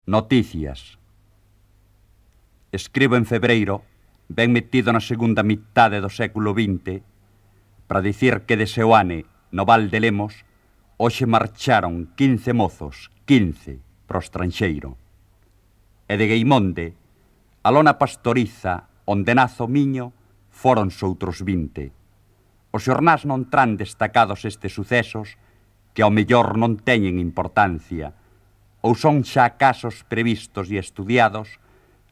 Noticias. Escribo en febreiro, ben metido na segunda mitade do século XX, para dicir que de Seoane, no Val de Lemos, hoxe marcharon 15 mozos, 15, pro estranxeiro. E de Gueimonde, a lona pastoriza, onde nazo miño, foronse outros 20. Os xornás non tran destacados estes sucesos, que ao mellor non teñen importancia, ou son xa casos previstos e estudiados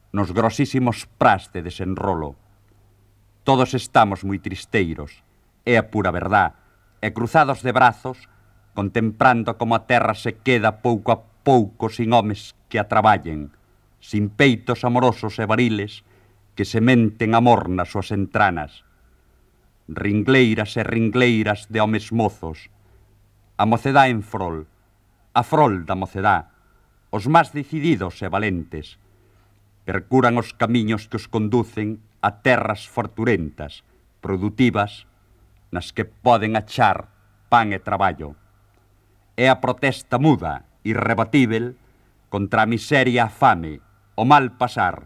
nos grosísimos pras de desenrolo. Todos estamos moi tristeiros, é a pura verdad, e cruzados de brazos, contemplando como a terra se queda pouco a pouco sin homes que a traballen, sin peitos amorosos e variles que sementen amor nas súas entranas. Ringleiras e ringleiras de homes mozos, a mocedá en frol, a frol da mocedá, os máis decididos e valentes, percuran os camiños que os conducen a terras forturentas, produtivas, nas que poden achar pan e traballo. É a protesta muda, irrebatível, contra a miseria, a fame, o mal pasar.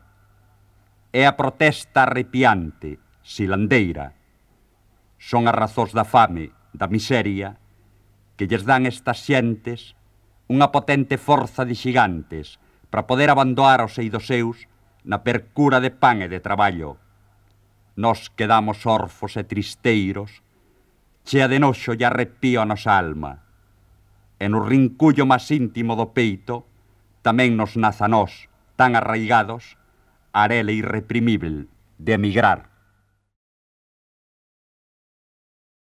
É a protesta arrepiante, silandeira. Son as razóns da fame, da miseria, que lles dan estas xentes unha potente forza de xigantes para poder abandonar os eidos seus na percura de pan e de traballo. Nos quedamos orfos e tristeiros, chea de noxo e arrepío a nosa alma. E no rincullo máis íntimo do peito tamén nos naza nós, tan arraigados, a arela irreprimível de emigrar.